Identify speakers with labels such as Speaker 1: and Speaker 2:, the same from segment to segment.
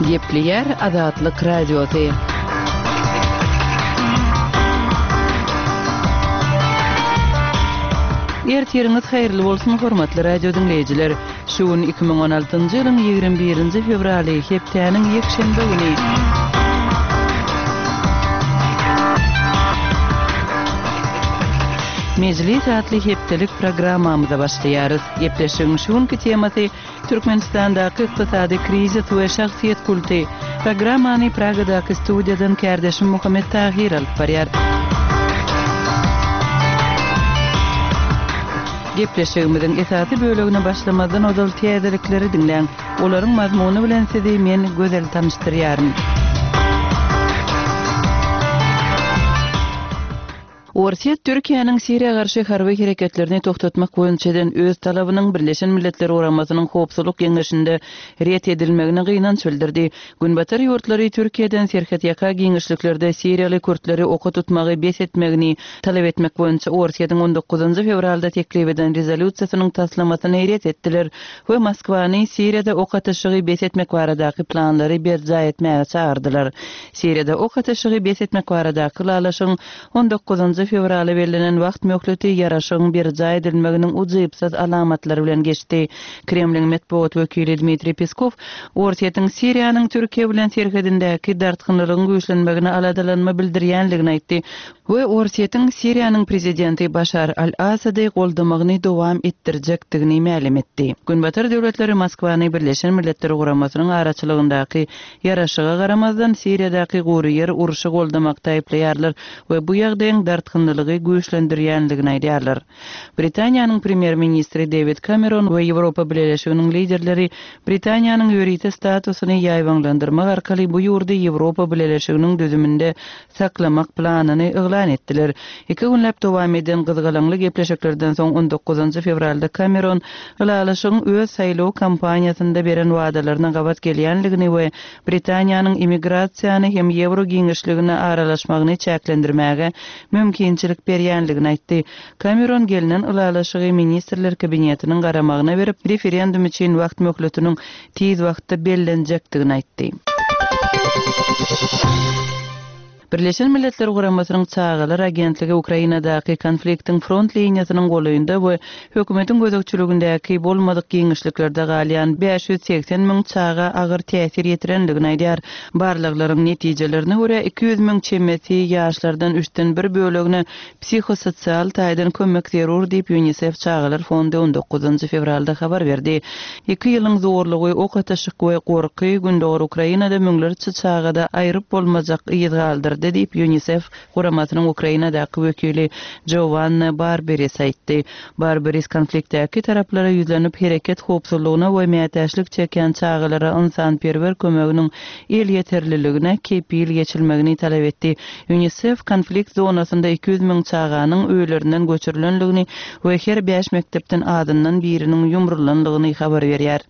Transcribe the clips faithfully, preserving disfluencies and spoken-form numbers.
Speaker 1: Gepleýär Azatlyk Radiosy. Ertiriňiz haýyrly bolsun, hormatly radio diňleýjiler! Şu gün iki müň on altynjy ýylyň ýigrimi birinji fewraly, hepdäniň ýekşenbe güni. Mejlis atly hepdelik programmamyza başlaýarys. Gepleşigiň şu günki temasy Türkmenistandaky ykdysady krizis we şahsyýet kulty. Programmany Pragadaky studiýadan kärdeşim Muhammet Tahyr alyp barýar. Gepleşigimiziň esasy bölegine başlamazdan ozal täzelikleri diňläň. Olaryň mazmuny bilen sizi men Gözel tanyşdyrýaryn. Orsýet Türkiýäniň Siriýa garşy harby hereketlerini togtatmak boýunça eden öz talabynyň Birleşen Milletler Guramasynyň Howpsuzlyk Geňeşinde ret edilmegine gynanç bildirdi. Günbatar ýurtlary Türkiýeden serhetýaka giňişliklerde siriýaly kürtleri oka tutmagy bes etmegini talap etmek boýunça Orsýetiň on dokuzynjy fewralda teklip eden rezolýusiýasynyň taslamasyny ret etdiler we Moskwany Siriýada ok atyşygy bes etmek baradaky planlary berjaý etmäge çagyrdylar. Siriýada ok atyşygy bes etmek baradaky ylalaşygyň on dokuzynjy fewrala bellenen wagt möhleti ýaraşygyň berjaý edilmeginiň ujypsyz alamatlary bilen geçdi. Kremliň metbugat wekili Dmitriý Peskow Orsýetiň Siriýanyň Türkiýe bilen serhedindäki dartgynlylygyň güýçlenmegine aladalanma bildirýänligini aýtdy we Orsýetiň Siriýanyň prezidenti Başar al-Asady goldamagyny dowam etdirjekdigini mälim etdi. Günbatar döwletleri Moskwany Birleşen Milletler Guramasynyň araçylygyndaky ýaraşyga garamazdan Siriýadaky gury ýer urşy goldamakda aýyplaýarlar we bu ýagdaýyň dartgynlylygy güýçlendirýänligini aýdýarlar. Britaniýanyň premýer-ministri Dewid Kameron we Ýewropa Bileleşiginiň liderleri Britaniýanyň ýörite statusyny ýaýbaňlandyrmak arkaly bu ýurdy Ýewropa Bileleşiginiň düzüminde saklamak planyny yglan etdiler. Iki günläp dowam eden gyzgalaňly gepleşiklerden soň on dokuzynjy fewralda Kameron ylalaşygyň öz saýlaw kampaniýasynda beren wadalaryna gabat gelýänligini we Britaniýanyň immigrasiýany hem ýewro giňişligine aralaşmagyny çäklendirmäge mümkinçilik berýänligini aýtdy. Kameron gelnen ylalaşygy Ministrler Kabinetiniň garamagyna berip, referendum üçin wagt möhletiniň tiz wagtda bellenjekdigini aýtdy. Birleşen Milletler Guramasynyň Çagalar agentligi Ukrainadaky konfliktiň front liniýasynyň golaýynda we hökümetiň gözegçiligindäki bolmadyk giňişliklerde galýan bäş ýüz segsen müň çaga agyr täsir ýetirendigini aýdýar. Barlaglaryň netijelerine görä iki ýüz müň çemesi ýaşlardan üçden bir bölegine psihososial taýdan kömek zerur diýip UNICEF Çagalar fondy on dokuzynjy fewralda habar berdi. Iki ýylyň zorlugy, ok atyşyk we gorky Gündogar Ukrainada müňlerçe çagada aýryp bolmajak yz galdyrdy diýip UNICEF guramasynyň Ukrainadaky wekili Giovanna Barberis aýtdy. Barberis konfliktdäki taraplara ýüzlenip hereket howpsuzlygyna we mätäçlik çekýän çagalara ynsanperwer kömeginiň elýeterliligine kepil geçilmegini talap etdi. UNICEF konflikt zonasynda iki ýüz müň çaganyň öýlerinden göçürilenligini we her bäş mekdepden azyndan biriniň ýumrulanlygyny habar berýär.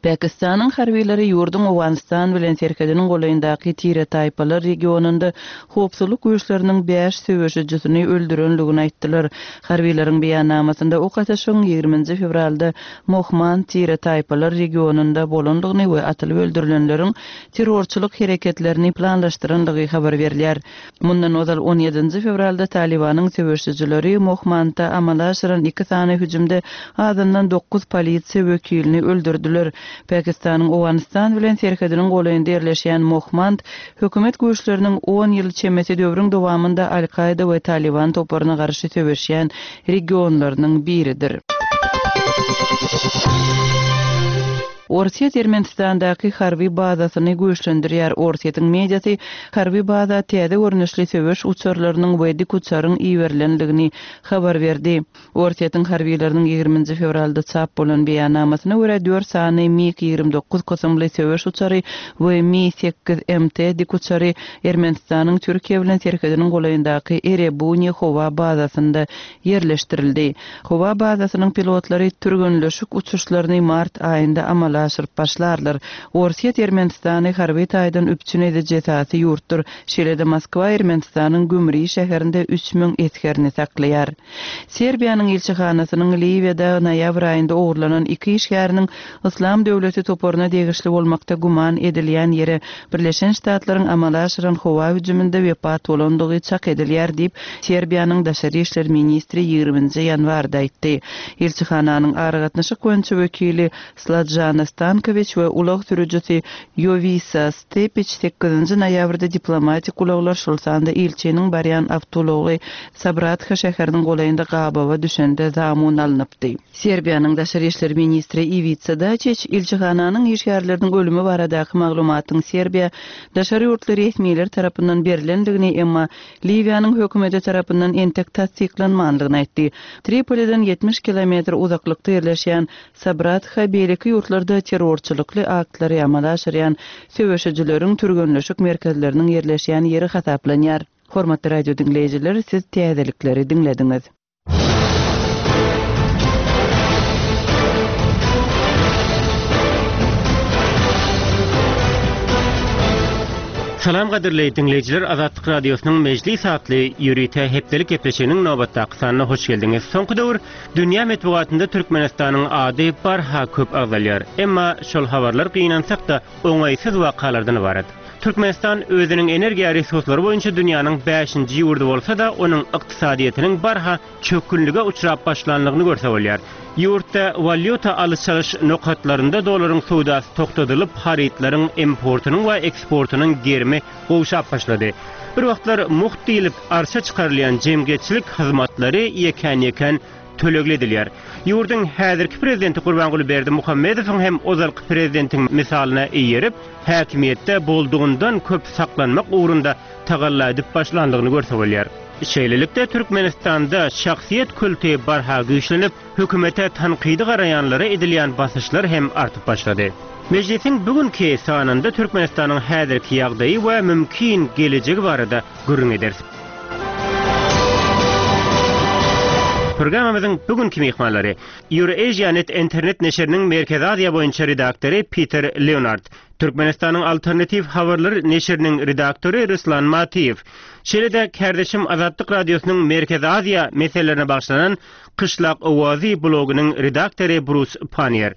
Speaker 1: Pakistanyň harbiylary ýurduň Owganystan bilen serhediniň golaýyndaky tire-taýpalar regionynda howpsuzlyk güýçleriniň bäş söweşijisini öldürenligini aýtdylar. Harbiýlaryň beýannamasynda ok atyşygyň ýigriminji fewralda Mohmand tire-taýpalar regionynda bolandygyny we atylyp öldürilenleriň terrorçylyk hereketlerini planlaşdyrandygy habar berilýär. Mundan ozal on ýedinji fewralda Talibanyň söweşijileri Mohmandda amala aşyran iki sany hüjümde azyndan dokuz polisiýa wekilini öldürdüler. Pakistanyň Owganystan bilen serhediniň golaýynda ýerleşýän Mohmand hökümet güýçleriniň on ýyl çemesi döwrüň dowamynda Al-Kaida we Taliban toparyna garşy söweşýän regionlarynyň biridir. Orsýet Ermenistandaky harby bazasyny güýçlendirýär. Orsýetiň mediasy harby baza täze görnüşli söweş uçarlarynyň we dik uçaryň iberilendigini habar berdi. Orsýetiň harbiýlarynyň ýigriminji fewralda çap bolan beýannamasyna görä dört sany MiG ýigrimi dokuz kysymly söweş uçary we Mi sekiz M T dik uçary Ermenistanyň Türkiýe bilen serhediniň golaýyndaky Erebuni howa bazasynda ýerleşdirildi. Howa bazasynyň pilotlary türgenleşik uçuşlaryny mart aýynda amala amala aşyryp başlarlar. Orsýet Ermenistany harby taýdan üpjün ediji esasy ýurtdur. Şeýle-de Moskwa Ermenistanyň Gümri şäherinde üç müň esgerini saklaýar. Serbiýanyň ilçihanasynyň Liwiýada noýabr aýynda ogurlanan iki işgäriniň Yslam döwleti toparyna degişli bolmakda güman edilýän ýere Birleşen Ştatlaryň amala aşyran howa hüjüminde wepat bolandygy çak edilýär diýip, Serbiýanyň daşary işler ministri ýigriminji ýanwarda aýtdy. Ilçihananyň aragatnaşyk boýunça wekili Sladjana Stankowiç we ulag sürüjisi Ýowisa Stepiç sekizinji noýabrda diplomatik ulaglar, şol sanda ilçiniň barýan awtoulagy Sabratha şäheriniň golaýynda gabawa düşende zamun alnypdy. Serbiýanyň daşary işler ministri Iwica Daçiç ilçihananyň işgärleriniň ölümi baradaky maglumatyň Serbiýa daşary ýurtly resmiler tarapyndan berlendigini, emma Liwiýanyň hökümeti tarapyndan entek tassyklanmandygyny aýtdy. Tripoliden ýetmiş kilometr uzaklykda ýerleşýän Sabratha beýleki ýurtlarda terrorçylykly aktlary amala aşyrýan söweşijileriň türgenleşik merkezleriniň ýerleşýän ýeri hasaplanýar. Hormatly radio diňleýjiler, siz täzelikleri diňlediňiz.
Speaker 2: Salam gadyrly diňleýjiler, Azatlyk Radiosynyň Mejlis atly ýörite hepdelik gepleşiginiň nobatdaky sanyna hoş geldiňiz. Soňky döwür dünýä metbugatynda Türkmenistanyň ady barha köp agzalýar. Emma şol habarlar gynansak-da oňaýsyz wakalardan ybarat. Türkmenistan özüniň energiýa resurslary boýunça dünýäniň bäşinji ýurdy bolsa-da, onuň ykdysadyýetiniň barha çökgünlige uçrap başlanlygyny görse bolýar. Ýurtda walýuta alyş-çalyş nokatlarynda dolaryň söwdasy togtadylyp, harytlaryň importynyň we eksportynyň gerimi gowşap başlady. Bir wagtlar mugt diýlip arça çykarylýan jemgyýetçilik hyzmatlary ýekän-ýekän tölegli edilýär. Ýurduň häzirki prezidenti Gurbanguly Berdimuhamedowyň hem ozalky prezidentiň misalyna eýerip, häkimiýetde boldugyndan köp saklanmak ugrunda tagalla edip başlandygyny görse bolýar. Şeýlelikde Türkmenistanda şahsyýet kulty barha güýçlenip, hökümete tankydy garaýanlara edilýän basyşlar hem artyp başlady. Mejlisiň bugünkü sanynda Türkmenistanyň häzirki ýagdaýy we mümkin gelejegi barada gürrüň ederis. Programmamyzyň bugünkü myhmanlary EurAsiaNet internet neşiriniň Merkezi Aziýa boýunça redaktory Peter Leonard, Türkmenistanyň Alternativ habarlar neşiriniň redaktory Ruslan Matiýew, şeýle-de Kärdeşim Azatlyk Radiosynyň Merkezi Aziýa meselelerine bagyşlanan Kyşlak Owazy blogynyň redaktory Bruce Pannier.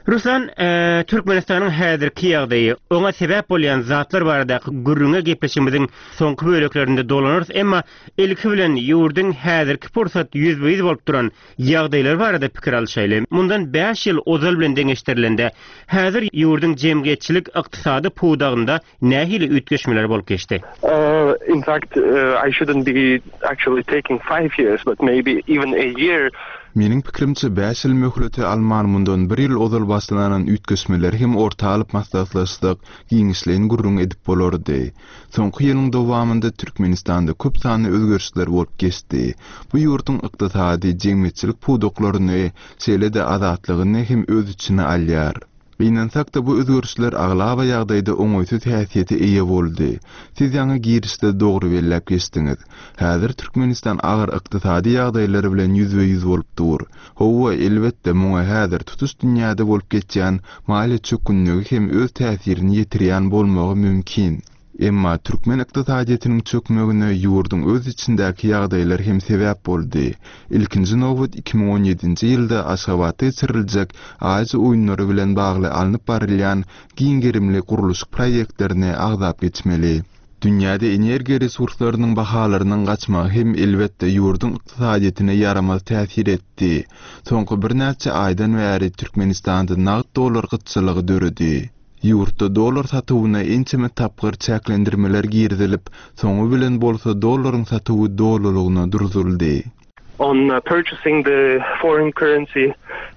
Speaker 2: Ruslan, e, Türkmenistanyň häzirki ýagdaýy, oňa sebäp bolýan zatlar baradaky gürrüňe gepleşigimiziň soňky böleklerinde dolanarys, emma ilki bilen ýurduň häzirki pursat ýüzbe-ýüz bolup duran ýagdaýlar barada pikir alşaýly. Mundan bäş ýyl ozal bilen deňeşdirilende, häzir ýurduň jemgyýetçilik ykdysady pudagynda nähili üýtgeşmeler bolup geçdi?
Speaker 3: Uh, in fact, uh, I shouldn't be actually taking five years, but maybe even a year.
Speaker 4: Meniň pikrimçe bäş ýyl möhleti alman mundan bir ýyl ozal başlanan üýtgeşmeleri hem orta alyp maslahatlaşsak, giňişleýin gürrüň edip bolardy. Soňky ýylyň dowamynda Türkmenistanda köp sanly özgerişler bolup geçdi. Bu ýurduň ykdysady, jemgyýetçilik pudaklaryny, şeýle-de azatlygyny hem öz içine alýar. Gynansak-da bu özgerişler aglaba ýagdaýda oňaýsyz häsiýete eýe boldy. Siz ýaňy girişde dogry belläp geçdiňiz. Häzir Türkmenistan agyr ykdysady ýagdaýlar bilen ýüzbe-ýüz bolup dur. Hawa, elbetde muňa häzir tutuş dünýäde bolup geçýän maliýe çökgünligi hem öz täsirini ýetirýän bolmagy mümkin. Emma türkmen ykdysadyýetiniň çökmegine ýurduň öz içindäki ýagdaýlar hem sebäp boldy. Ilkinji nobat iki müň on ýedinji ýylda Aşgabatda geçiriljek Aziýa oýunlary bilen bagly alnyp barylýan giň gerimli gurluşyk proýektlerini agzap geçmeli. Dünýäde energiýa resurslarynyň bahalarynyň gaçmagy hem elbetde ýurduň ykdysadyýetine ýaramaz täsir etdi. Soňky birnäçe aýdan bäri Türkmenistanda nagt dollar gytçylygy döredi. Ýurtda dollar satuwyna ençeme tapgyr çäklendirmeler girizilip, soňy bilen bolsa dollaryň satuwy dolulygyna durduryldy.
Speaker 3: On, uh, purchasing the foreign currency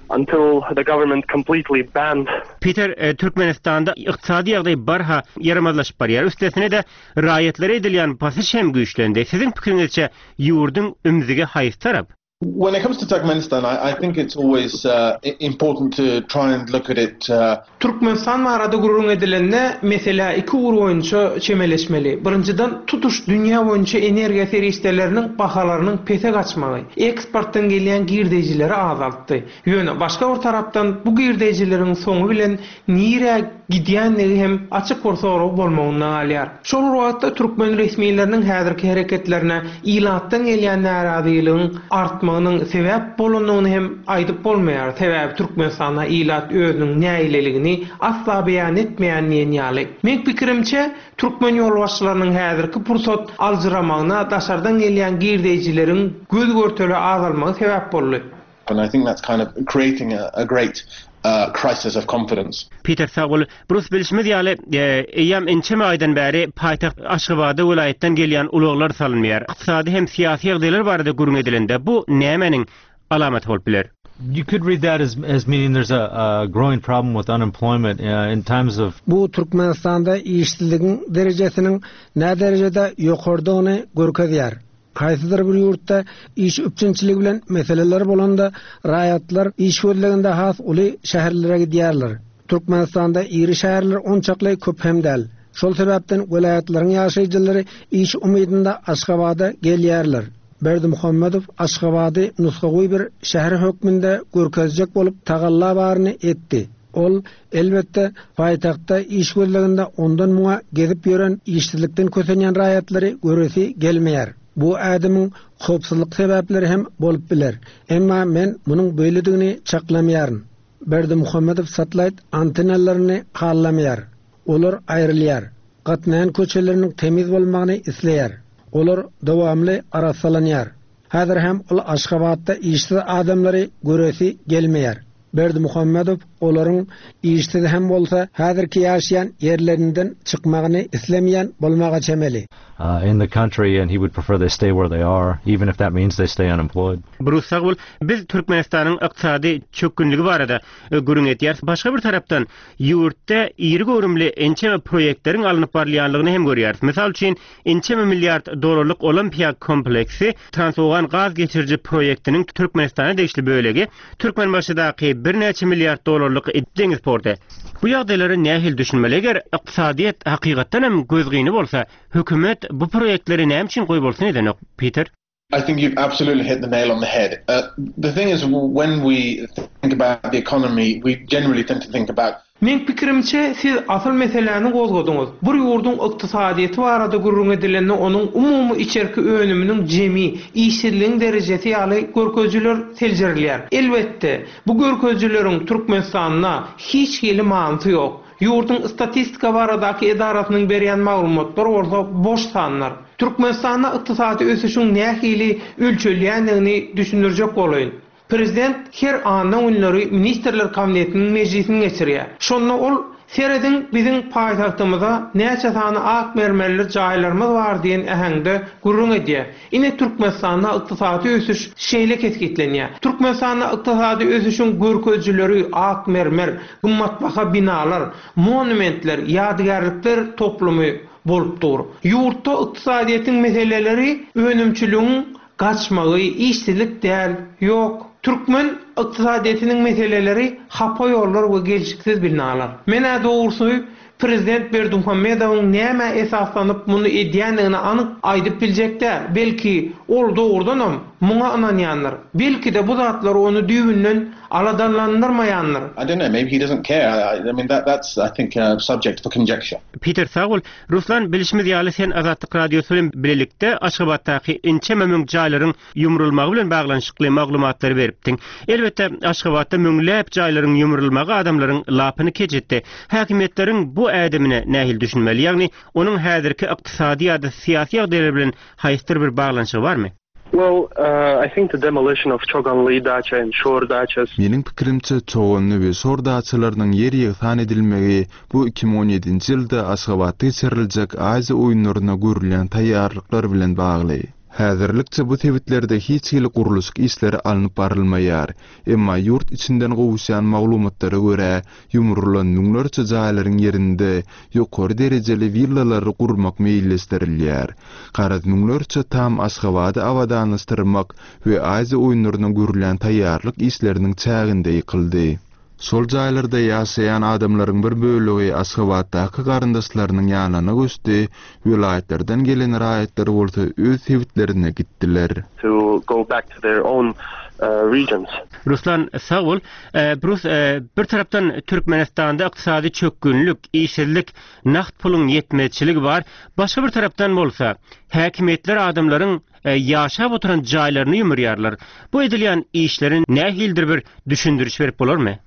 Speaker 3: until the government completely banned.
Speaker 2: Peter, e, Türkmenistanda ykdysady ýagdaý barha ýaramazlaşyp barýar. Üstesine de raýatlara edilýän basyş hem güýçlendi. Siziň pikiriňizçe ýurduň ümzügi haýsy tarap?
Speaker 5: When it comes to Turkmenistan, I, I think it's always uh, important to try and look at it. Uh,
Speaker 6: Türkmenistan barada gürrüň edilende meselä iki ugur boýunça çemeleşmeli. Birinjiden tutuş dünýä boýunça energiýa serişdeleriniň bahalarynyň pese gaçmagy, eksportdan gelýän girdejileri azaltdy. Ýöne başga bir tarapdan bu girdejileriň soňy bilen nirä gidýänligi hem açyk bir sorag bolmagyndan galýar. Şol wagtda türkmen resmileriniň häzirki hereketlerine ilatdan gelýän närazylygyň artmagynyň sebäp bolandygyny hem aýdyp bolmaýar. Sebäbi Türkmenistanda ilat özüniň nägileligini asla beýan etmeýän diýen ýaly. Meň pikirimçe türkmen ýolbaşçylarynyň häzirki pursat aljyramagyna daşardan gelýän girdejileriň göz görtele azalmagy sebäp boldy.
Speaker 5: and I think that's kind of creating a, a great uh, crisis of confidence.
Speaker 2: Peter sag bol. Brus bilişimiz ýaly, e, eýýäm ençeme aýdan bäri paýtagt Aşgabada welaýatdan gelýän ulaglar salynmaýar. Ykdysady hem syýasy ýagdaýlar barada gürrüň edilende bu nämäniň alamaty bolup biler?
Speaker 7: You could read that as, as meaning there's a, a growing problem with unemployment uh, in times of
Speaker 8: Bu Türkmenistanda işsizligiň derejesiniň nä derejede ýokardygyny görkezýär. Haýsydyr bir ýurtda iş üpjünçiligi bilen meseleler bolanda raýatlar iş gözleginde has uly şäherlere gidýärler. Türkmenistanda iri şäherler onçakly köp hem däl. Şol sebäpden welaýatlaryň ýaşaýjylary iş umydynda Aşgabada gelýärler. Berdimuhamedow Aşgabady nusgawy bir şäher hökmünde görkezjek bolup tagalla baryny etdi. Ol elbetde paýtagtda iş gözleginde ondan muňa gezip ýören işsizlikden kösenýän raýatlary göresi gelmeýär. Bu ädimiň howpsuzlyk sebäpleri hem bolup biler. Emma men munuň beýledigini çaklamaýaryn. Berdimuhamedow satellite antenalaryny hallamaýar. Olar aýrylýar. Gatnaýan köçeleriniň temiz bolmagyny isleýär. Olar dowamly arassalanýar. Häzir hem ol Aşgabatda işsiz adamlary göresi gelmeýär. Berdimuhamedow olaryň işsiz hem bolsa häzirki ýaşaýan ýerlerinden çykmagyny islemeýän bolmaga çemeli.
Speaker 7: uh, in the country, and he would prefer they stay where they are, even if that means they stay unemployed.
Speaker 2: Brus sag bol. Biz Türkmenistanyň ykdysady çökgünligi barada e, gürrüň etýäris. Başga bir tarapdan ýurtda iri göwrümli ençeme proýektleriň alnyp barylýanlygyny hem görýäris. Mysal üçin ençeme milliard dollarlyk Olimpiýa kompleksi Transowgan gaz geçiriji proýektiniň Türkmenistana degişli bölegi Türkmenbaşydaky birnäçe milliard dollarlyk deňiz porty. Bu ýagdaýlara nähili düşünmeli? Eger ykdysadyýet hakykatdan hem gözgyny bolsa, hökümet bu proýektleri näme üçin goýbolsun edenok, Peter?
Speaker 5: I think you've absolutely hit the nail on the head. Uh, the thing is, when we think about the economy, we generally tend to think about
Speaker 6: Meň pikirimçe siz asyl meseläni gozgadyňyz. Bir ýurduň ykdysadyýeti barada gürrüň edilende onuň umumy içerki önüminiň jemi, işsizligiň derejesi ýaly görkezijiler seljerilýär. Elbetde, bu görkezijileriň Türkmenistanda hiç hili manysy ýok. Ýurduň statistika baradaky edarasynyň berýän maglumatlary bolsa boş sanlar. Türkmenistanda ykdysady ösüşiň nähili ölçelýändigini düşündirjek bolaýyn. Prezident her anna günleri Ministrler Kabinetiniň mejlisini geçirýär. Şonda ol serediň biziň paýtagtymyza näçe sany ak mermerli jaýlarymyz bar diýen äheňde gürrüň edýär. Ine Türkmenistanda ykdysady ösüş şeýle kesgitlenýär. Türkmenistanda ykdysady ösüşiň görkezijileri ak mermer, gymmatbaha binalar, monumentler, ýadygärlikler toplumy bolup dur. Ýurtda ykdysadyýetiň meseleleri önümçiligiň gaçmagy, işsizlik däl, ýok. Türkmen ykdysadyýetiniň meseleleri hapa ýollar we gelşiksiz binalar. Menä dogrusy Prezident Berdimuhamedowyň näme esaslanyp muny edýändigini anyk aýdyp biljek däl. Belki ol dogrudanam muňa ynanýandyr. Belki-de bu zatlar ony düýbünden aladanlandyrmaýandyr.
Speaker 5: I don't know, maybe he doesn't care. I, I mean, that, that's, I think, uh, subject for conjecture.
Speaker 2: Peter sag bol. Ruslan bilişimiz ýaly sen Azatlyk Radiosy bilen birlikde Aşgabatdaky ençeme müň jaýlaryň ýumrulmagy bilen baglanyşykly maglumatlary beripdiň. Elbetde Aşgabatda müňläp jaýlaryň ýumrulmagy adamlaryň lapyny keç etdi. Häkimiýetleriň bu ädimine nähili düşünmeli? Ýagny onuň häzirki ykdysady ýa-da syýasy ýagdaýlar bilen haýsydyr bir baglanyşygy barmy?
Speaker 3: Well, uh, I think the demolition of Choganli dacha and Shor dachas
Speaker 4: Meniň pikirimçe Çoganly we Şor daçalarynyň ýer ýegsan edilmegi bu iki müň on ýedinji ýylda Aşgabatda geçiriljek Aziýa oýunlaryna görülýän taýýarlyklar bilen bagly. Häzirlikçe bu sebitlerde hiç hili gurluşyk işleri alnyp barylmaýar. Emma ýurt içinden gowuşýan maglumatlara görä, ýumrulan müňlerçe jaýlaryň ýerinde ýokary derejeli willalary gurmak meýilleşdirilýär. Garaz müňlerçe tam Aşgabady abadanlaşdyrmak we Aziýa oýunlaryna görülýän taýýarlyk işleriniň çäginde ýykyldy. Şol jaýlarda ýaşaýan adamlaryň bir bölegi Aşgabatdaky garyndaşlarynyň ýanyna göçdi, welaýatlardan gelen raýatlar bolsa öz sebitlerine gitdiler.
Speaker 3: To go back to their own uh, regions.
Speaker 2: Ruslan sag bol. Brus bir tarapdan Türkmenistanda ykdysady çökgünlik, işsizlik, nagt puluň ýetmezçiligi bar. Başga bir tarapdan bolsa, häkimiýetler adamlaryň ýaşap oturan jaýlaryny ýumurýarlar. Bu edilýän işlerin nähilidir bir düşündiriş berip bolarmy?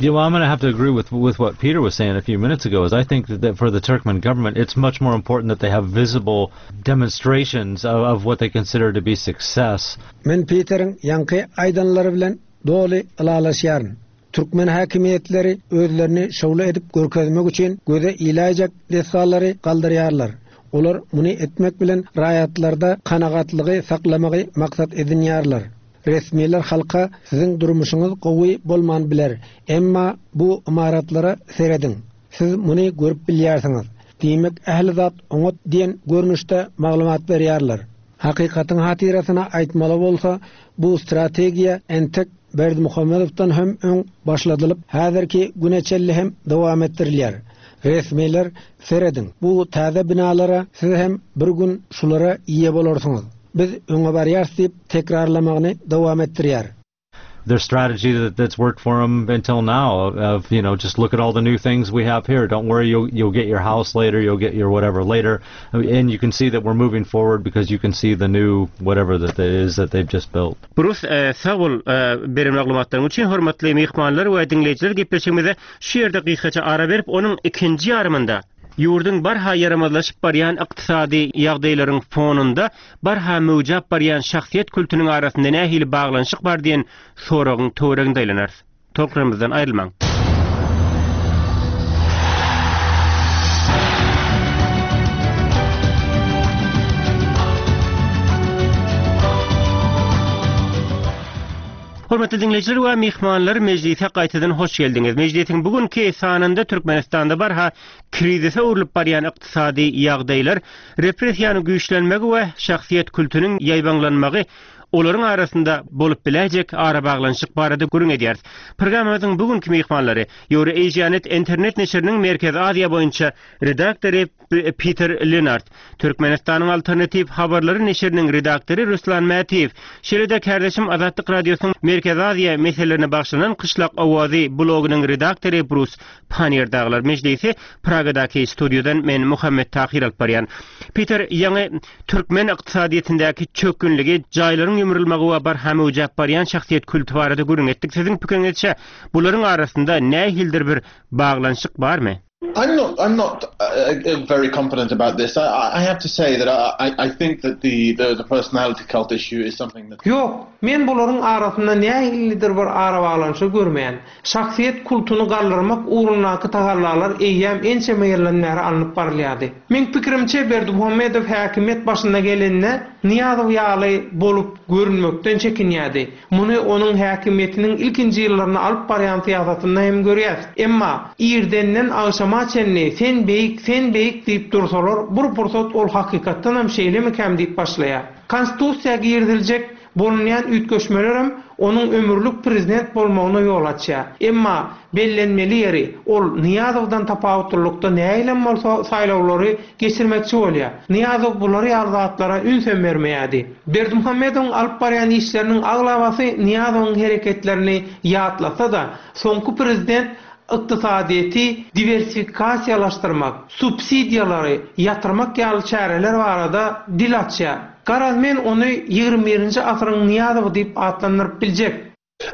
Speaker 7: Yeah, well, I'm going to have to agree with with what Peter was saying a few minutes ago. Is I think that, that for the Turkmen government, it's much more important that they have visible demonstrations of, of what they consider to be success.
Speaker 8: Men Peteriň ýaňky aýdanlary bilen doly ylalaşýaryn. Türkmen häkimiýetleri özlerini şowly edip görkezmek üçin göze iläýjek desgalary galdyrýarlar. Olar muny etmek bilen raýatlarda kanagatlygy saklamagy maksat edinýärler. Resmiler halka siziň durmuşyňyz gowy bolman biler. Emma bu ymaratlara serediň. Siz muny görüp bilýärsiňiz. Diýmek ähli zat oňat diýen görnüşde maglumat berýärler. Hakykatyň hatyrasyna aýtmaly bolsa, bu strategiýa entek Berdimuhamedowdan hem öň başladylyp, häzirki güne çenli hem dowam etdirilýär. Resmiler serediň. Bu täze binalara siz hem bir gün şulara eýe bolarsyňyz. Biz öňe barýarys diýip tekrarlamagyny dowam etdirýär.
Speaker 7: Their strategy that, that's worked for them until now of, of you know just look at all the new things we have here. Don't worry, you'll you'll get your house later, you'll get your whatever later, and you can see that we're moving forward because you can see the new whatever that it is that they've just built.
Speaker 2: Brus sag bol beren maglumatlaryň üçin hormatly myhmanlar we diňleýjiler gepleşigimize şu ýerde gysgaça ara berip, onuň ikinji ýarymynda ýurduň barha ýaramazlaşyp barýan ykdysady ýagdaýlaryň fonunda barha möwjap barýan şahsyýet kültüniň arasynda nähili baglanyşyk bar diýen soragyň töwereginde aýlanarys. Tolkunlarymyzdan aýrylmaň. Hormatly diňleýjiler we myhmanlar, mejlise gaýtadan hoş geldiňiz. Mejlisiň bugünki sanynda Türkmenistanda barha krizise öwrülip barýan ykdysady ýagdaýlar, repressiýanyň güýçlenmegi we şahsyýet kültüniň ýaýbaňlanmagy olaryň arasynda bolup biläýjek arabaglanyşyk barada gürrüň edýäris. Programmamyzyň bugünkü myhmanlary Eurasianet internet neşiriniň Merkezi Aziýa boýunça redaktory Peter Lenart, Türkmenistanyň Alternatiw habarlary neşiriniň redaktory Ruslan Mätiýew, şeýle-de kärdeşim Azatlyk Radiosynyň Merkezi Aziýa meselelerine bagyşlanan Kyşlak Owazy blogynyň redaktory Brus Pannier daglar. Mejlisi Pragadaky studiýadan men Muhammet Tahir alyp barýan. Peter, ýaňy türkmen ykdysadyýetindäki çökgünligi, jaýlaryň ýumrulmagy we barha möwjap barýan şahsyýet külti barada gürrüň etdik. Siziň pikiriňizçe bularyň arasynda nähilidir bir baglanyşyk barmy?
Speaker 5: I'm not. I'm not uh, very confident about this. I, I have to say that I, I think that the, the, the personality cult issue is something that.
Speaker 6: Ýok, men bularyň arasynda nähilidir bir arabaglanyşyk görmeýän. Şahsyýet kultuny galdyrmak ugrundaky tagallalar eýýäm ençeme ýyldan bäri alnyp barylýardy. Men pikirimçe Berdimuhamedow häkimiýet başyna gelende Nyýazow ýaly bolup görünmekden çekinýärdi. Muny onuň häkimiýetiniň ilkinji ýyllaryny alyp barýan syýasatynda hem görýäs. Emma irdenden agşama çenli sen beýik, sen beýik diýip dursalar, bir pursat ol hakykatdan hem şeýlemikäm diýip başlaýar. Konstitusiýa giriziljek bolunýan üýtgeşmelerem onuň ömürlik prezident bolmagyna ýol açýar. Emma bellenmeli ýeri ol Nyýazowdan tapawutlylykda näilem bolsa saýlawlary geçirmekçi bolýar. Nyýazow bulary ýaly zatlara ünsem bermeýärdi. Berdimuhamedowyň alyp barýan işleriniň aglabasy Nyýazowyň hereketlerini ýatlasa-da, soňky prezident ykdysadyýeti diwersifikasiýalaşdyrmak, subsidiýalary ýatyrmak ýaly çäreler barada dil açýar. Garaz men ony ýigrimi birinji asyryň Nyýazowy diýip atlandyryp biljek.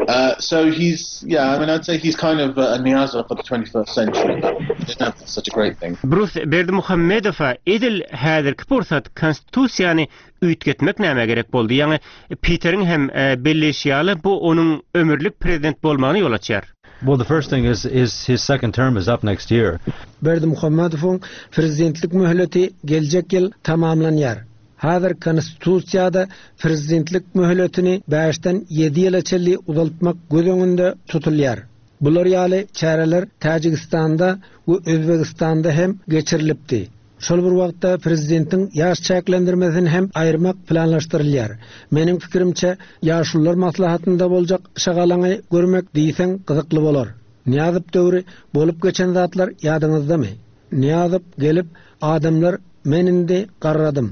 Speaker 5: Uh, so he's, yeah, I mean, I'd say he's kind of a Niyazov for the twenty-first century. But I don't know if that's such a great thing.
Speaker 2: Brus Berdimuhamedowa edil häzirki pursat konstitusiýany üýtgetmek näme gerek boldy? Ýagny Peteriň hem belleşi ýaly bu onuň ömürlik prezident bolmagyny ýol açýar.
Speaker 7: Well, the first thing is, is his second term is up next year.
Speaker 8: Berdimuhamedowyň prezidentlik möhleti geljek ýyl tamamlanýar. Häzir konstitusiýada prezidentlik möhletini bäşden ýedi ýyla çenli uzaltmak göz öňünde tutulýar. Bular ýaly çäreler Täjigistanda we Özbegistanda hem geçirilipdi. Şol bir wagtda prezidentiň ýaş çäklendirmesini hem aýyrmak planlaşdyrylýar. Meniň pikirimçe, ýaşulular maslahatynda boljak şagalaňy görmek diýseň gyzykly bolar. Nyýazow döwri bolup geçen zatlar ýadyňyzdamy? Nyýazow gelip, adamlar men indi garradym.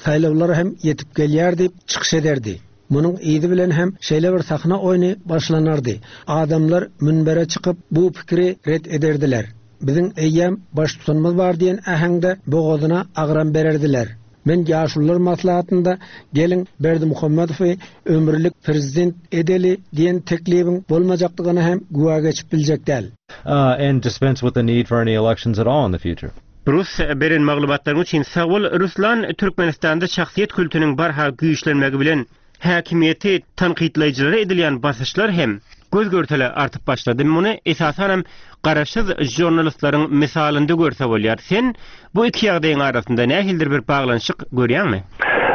Speaker 8: Saýlawlar hem ýetip gelýär diýip çykyş ederdi. Munuň yzy bilen hem şeýle bir sahna oýny başlanardy. Adamlar münbere çykyp bu pikiri ret ederdiler. Biziň eýýäm baştutanymyz bar diýen äheňde bogazyna agram bererdiler. Men ýaşulular maslahatynda geliň Berdimuhamedowy ömürlik prezident edeli diýen teklibiň bolmajakdygyna hem güwä geçip biljek däl.
Speaker 7: Uh, and dispense with the need for any elections at all in the future.
Speaker 2: Rus beren maglumatlaryň üçin sag bol. Ruslan Türkmenistanda şahsyýet kultunyň barha güýçlenmegi bilen häkimiýeti tankytlaýjylara edilýän basyşlar hem göz görtele artyp başlady. Muny esasan hem garaşsyz žurnalistleriň misalynda görse bolýar. Sen bu iki ýagdaýyň arasynda nähilidir bir baglanyşyk görýäňmi?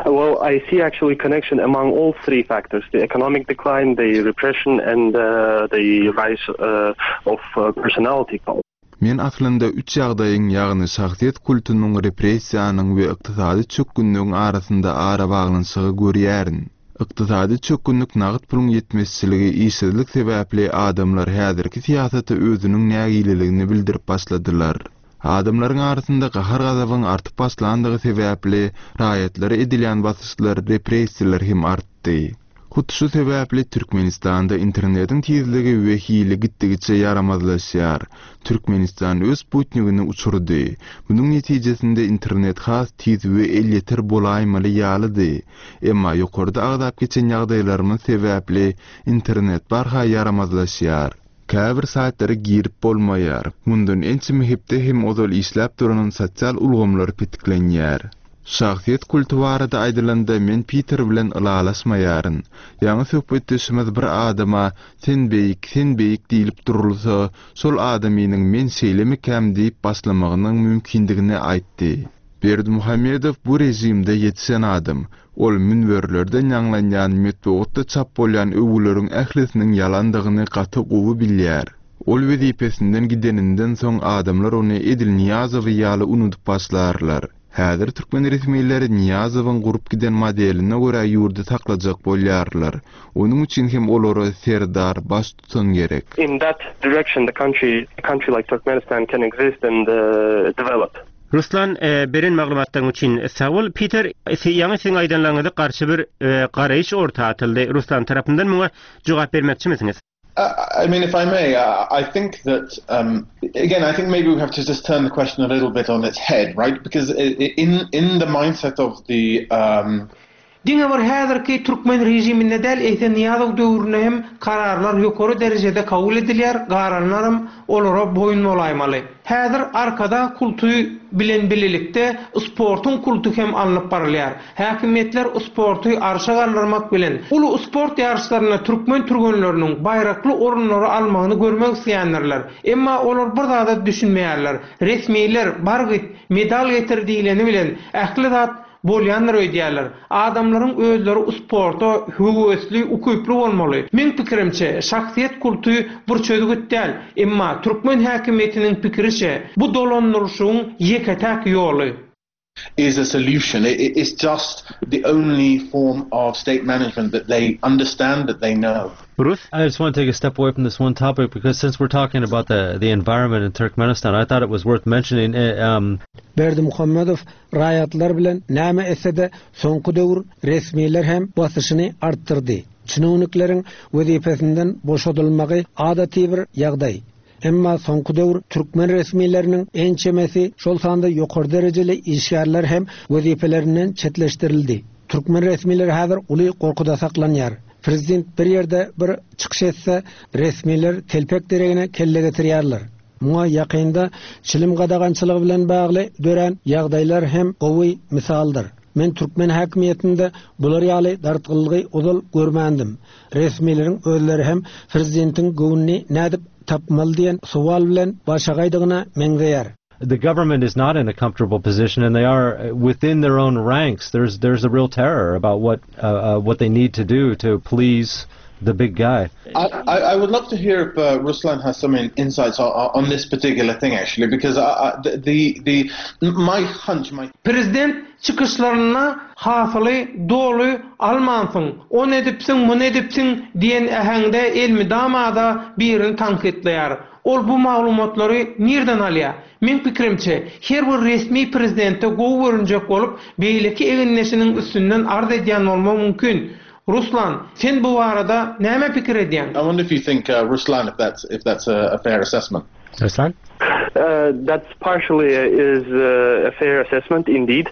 Speaker 3: Well, I see actually connection among all three factors: the economic decline, the repression and uh, the rise uh, of uh, personality cult.
Speaker 4: Men aslynda üç ýagdaýyň, ýagny şahsyýet kultunyň, repressiýanyň we ykdysady çökgünligiň arasynda ara baglanyşygy görýärin. Ykdysady çökgünlik nagt puluň ýetmezçiligi, işsizlik sebäpli adamlar häzirki syýasata özüniň nägileligini bildirip başladylar. Adamlaryň arasynda gahar-gazabyň artyp başlandygy sebäpli raýatlara edilýän basyşlar, repressiýalar hem artdy. Hut şu sebäpli Türkmenistanda internetiň tizligi we hili gitdigiçe ýaramazlaşýar. Türkmenistan öz sputnigini uçurdy. Munuň netijesinde internet has tiz we elýeter bolaýmaly ýalydy. Emma ýokarda agzap geçen ýagdaýlarymyz sebäpli internet barha ýaramazlaşýar. Käbir saýtlara girip bolmaýar. Mundan ençeme hepde hem ozal işläp duran sosial ulgamlar petiklenýär. Şahsyýet kulty barada aýdylanda men Peter bilen ylalaşmaýaryn. Ýaňy söhbetdeşimiz bir adama sen beýik, sen beýik diýilip durulsa, şol adamynyň men şeýlemikäm diýip başlamagynyň mümkindigini aýtdy. Berdimuhamedow bu rejimde ýetişen adam. Ol münberlerden ýaňlanýan metbugatda çap bolýan öwgüleriň ählisiniň ýalandygyny gaty gowy bilýär. Ol wezipesinden gideninden soň adamlar ony edil Nyýazowy ýaly unudyp başlarlar. Häzir türkmen resmileri Nyýazowyň gurup giden modeline görä ýurdy saklajak bolýarlar. Onuň üçin hem olara serdar baştutan gerek.
Speaker 3: In that direction the country a country like Turkmenistan can exist and uh, develop.
Speaker 2: Ruslan e, beren maglumatlaryň üçin sag bol. Peter, ýaňy siziň aýdanlaryňyza garşy bir e, garaýyş orta atyldy. Ruslan tarapyndan muňa jogap bermekçimisiňiz?
Speaker 5: Uh, I mean, if I may, uh, I think that, um, again, I think maybe we have to just turn the question a little bit on its head, right? Because in, in the mindset of the um,
Speaker 6: Diňe bir häzirki türkmen rejiminde däl, eýse Nyýazow döwründe hem kararlar ýokary derejede kabul edilýär, galanlaram olara boýun bolaýmaly. Häzir Arkadag kulty bilen birlikde sportuň kulty hem alnyp barylýar. Häkimiýetler sporty arşa galdyrmak bilen uly sport ýaryşlarynda türkmen türgenleriniň baýrakly orunlary almagyny görmek isleýändirler. Emma olar bir zada düşünmeýärler. Resmiler bar git medal getir diýleni bilen ähli zat bolýandyr öýdýärler. Adamlaryň özleri sporta höwesli, ukyply bolmaly. Meň pikirimçe, şahsyýet kulty bir çözgüt däl, emma türkmen häkimiýetiniň pikiriçe bu dolandyryşyň ýeke-täk ýoly.
Speaker 5: is a solution. It, it's just the only form of state management that they understand, that they know.
Speaker 2: Bruce?
Speaker 7: I just want to take a step away from this one topic because since we're talking about the, the environment in Turkmenistan, I thought it was worth mentioning. Uh, um,
Speaker 8: Berdimuhamedow raýatlar bilen näme etse-de soňky döwür resmiler hem basyşyny artdyrdy. Çinownikleriň wezipesinden boşadylmagy adaty bir ýagdaý. Emma soňky döwür türkmen resmileriniň ençemesi şol sanda ýokary derejeli işgärler hem wezipelerinden çetleşdirildi. Türkmen resmileri häzir uly gorkuda saklanýar. Prezident bir ýerde bir çykyş etse, resmiler telpek deregine kelle getirýärler. Muňa ýakynda çilim gadagançylygy bilen bagly dörän ýagdaýlar hem gowy misaldyr. Men türkmen häkimiýetinde bular ýaly dartgynlygy ozal görmändim. Resmileriň özleri hem prezidentiň göwnüni nädip tapmaly diýen sowal bilen başagaýdygyna meňzeýär.
Speaker 7: The government is not in a comfortable position, and they are within their own ranks. There's there's a real terror about what uh, uh, what they need to do to please the big guy.
Speaker 5: I, I, I would love to hear if uh, Ruslan has some in, insights on, on this particular thing, actually, because I, I, the, the the my hunch, my
Speaker 6: Prezident çykyşlarynda hasyly doly almansyň, ony edipsiň, muny edipsiň diýen äheňde elmydama-da birini tankytlaýar. Ol bu maglumatlary nirden alýar? Meň pikirimçe, her bir resmi prezidente gowy görünjek bolup, beýleki egindeşiniň üstünden arz edýän bolmagy mümkin. Ruslan, sen bu barada näme pikir edýäň?
Speaker 5: I wonder if you think, uh, Ruslan, if that's if that's a, a fair assessment.
Speaker 2: Ruslan?
Speaker 3: Uh, that's partially is uh, a fair assessment indeed.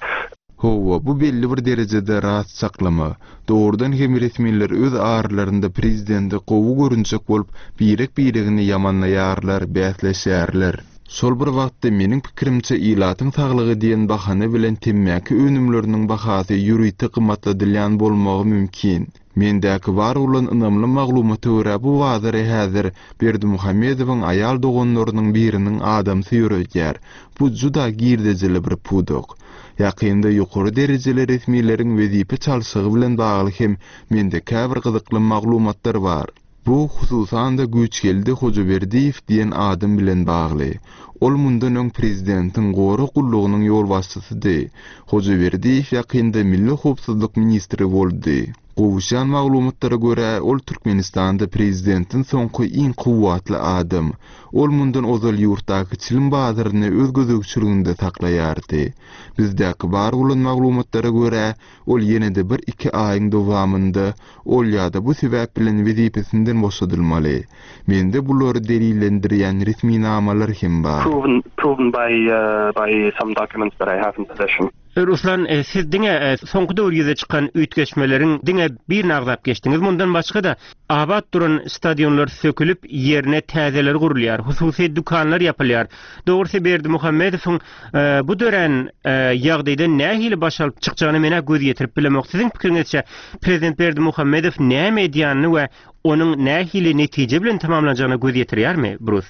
Speaker 4: Hawa, bu belli bir derejede rast çaklama. Dogrudan hem resmiler öz aralarynda prezidente gowy görünjek bolup, birek-biregini ýamanlaýarlar, bäsleşýärler. Şol bir wagtda meniň pikirimçe ilatyň saglygy diýen bahana bilen temmäki önümleriniň bahasy ýörite gymmatladylýan bolmagy mümkin. Mendäki bar bolan ynamly maglumata görä bu bazary häzir Berdimuhamedowyň aýal doganlarynyň biriniň adamsy ýöredýär. Bu juda girdejili bir pudak. Ýakynda ýokary derejeli resmileriň wezipe çalşygy bilen bagly hem mende käbir gyzykly maglumatlar bar. Bu hususan-da Güýçgeldi Hojaberdiýew diýen adam bilen bagly. Ol mundan öň prezidentiň gorag gullugynyň ýolbaşçysydy. Hojaberdiýew ýakynda Milli howpsuzlyk ministri boldy. Gowuşan maglumatlara görä, ol Türkmenistanda prezidentiň soňky iň kuwwatly adam. Ol mundan ozal ýurtdaky çilim bazaryny öz gözegçiliginde saklaýardy. Bizdäki bar bolan maglumatlara görä, ol ýene-de bir iki aýyň dowamynda ol ýa-da bu sebäp bilen wezipesinden boşadylmaly. Mende bulary delillendirýän resminamalar hem bar.
Speaker 3: Proven, proven by, uh, by some documents that I have in possession.
Speaker 2: Ruslan, e, siz diňe e, soňky döwür ýüze çykan üýtgeşmeleriň diňe birini agzap geçdiňiz. Mundan başga-da abat duran stadionlar sökülip ýerine täzeler gurulýar, hususy dükanlar ýapylýar. Dogrusy Berdimuhamedowyň e, bu dörän ýagdaýdan nähili baş alyp çykjagyny men göz ýetirip bilemok. Siziň pikiriňizçe prezident Berdimuhamedow näme edýänini we onuň nähili netije bilen tamamlanjagyna göz ýetirýärmi, Bruce?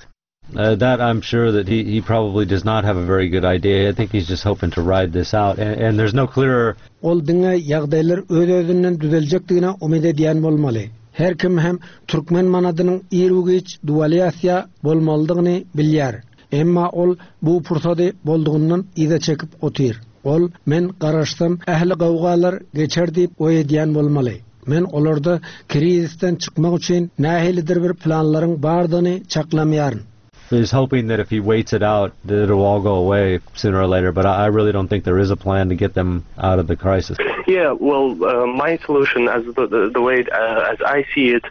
Speaker 7: Uh, that I'm sure that he, he probably does not have a very good idea. I think he's just hoping to ride this out, and, and there's no clearer
Speaker 8: Ol diňe ýagdaýlar öz-özünden düzeljekdigine umyt edýän bolmaly. Her kim hem türkmen manadynyň ir-u-giç dewalyasiýa bolmalydygyny bilýär. Emma ol bu pursady boldugyndan yza çekip otyr. Ol men garaşsam ähli gawgalar geçer diýip oý edýän bolmaly. Men olarda krizisden çykmak üçin nähilidir bir planlaryň bardygyny çaklamaýaryn.
Speaker 7: is hoping that if he waits it out, that it'll all go away sooner or later. But I, I really don't think there is a plan to get them out of the crisis.
Speaker 3: Yeah, well, uh, my solution, as the, the, the way uh, as I see it,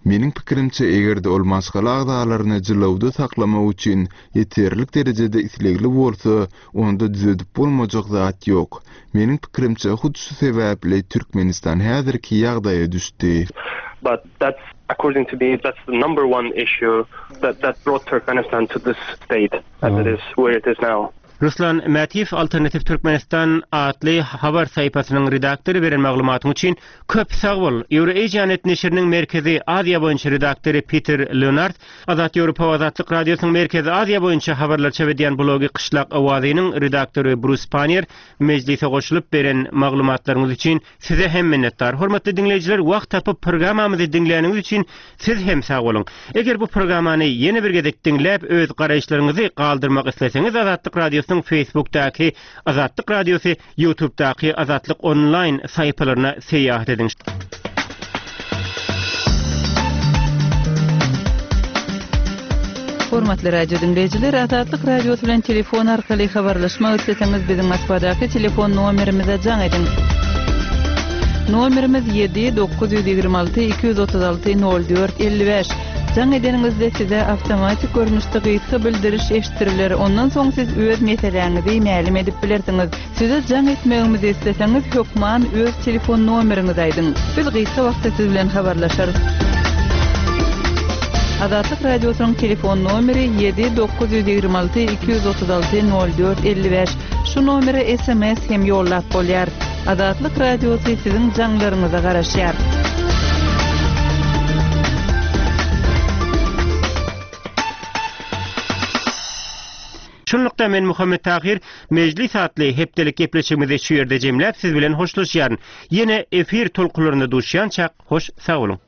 Speaker 4: Meniň pikirimçe eger-de ol maşgala agzalaryny jylawda saklamak üçin ýeterlik derejede islegli bolsa, onda düzedip bolmajak zat ýok. Meniň pikirimçe hut şu sebäpli Türkmenistan häzirki ýagdaýa düşdi.
Speaker 3: but that's according to me that's the number one issue that that brought Turkmenistan to this state as it is where it is now.
Speaker 2: Ruslan Mätiýew Alternatiw Türkmenistan atly habar sahypasynyň redaktory beren maglumatyň üçin köp sag bol. Eurasianet neşiriniň Merkezi Aziýa boýunça redaktory Peter Leonard, Azat Ýewropa Azatlyk Radiosynyň Merkezi Aziýa boýunça habarlar çap edýän blogy Gyşlak Owazynyň redaktory Bruce Pannier mejlise goşulyp beren maglumatlaryňyz üçin size hem minnetdar. Hormatly diňleýjiler, wagt tapyp programmamyzy diňläniňiz üçin siz hem sag boluň. Eger bu programmany ýene bir gezek diňläp öz garaýyşlaryňyzy galdyrmak isleseňiz Azatlyk Radiosynyň Facebookdaky Azatlyk Radiosy, YouTube'daky Azatlyk Online sahypalaryna syýahat ediň.
Speaker 1: Hormatly radio diňleýjiler, Azatlyk Radiosy bilen telefon arkaly habarlaşmak isleseňiz biziň Moskwadaky telefon nomerimize jaň ediň. Nomerimiz ýedi dokuz ýüz ýigrimi alty iki ýüz otuz alty nol dört elli bäş. Jaň edeniňizde size awtomatik görnüşde gysga bildiriş eşitdiriler. Ondan soň siz öz meseläňizi mälim edip bilersiňiz. Size jaň etmegimizi isleseňiz hökman öz telefon nomeriňizi aýdyň. Biz gysga wagtda siz bilen habarlaşarys. Azatlyk Radiosynyň telefon nomeri ýedi dokuz ýüz ýigrimi alty iki ýüz otuz alty nol dört elli bäş. Şu nomere S M S hem ýollap bolýar. Azatlyk Radiosy siziň jaňlaryňyza garaşýar.
Speaker 2: Şunlukda men Muhammet Tahir Mejlis atly hepdelik gepleşigimizi şu ýerde jemläp siz bilen hoşlaşýaryn. Ýene efir tolkunlarynda duşýançak hoş sag boluň.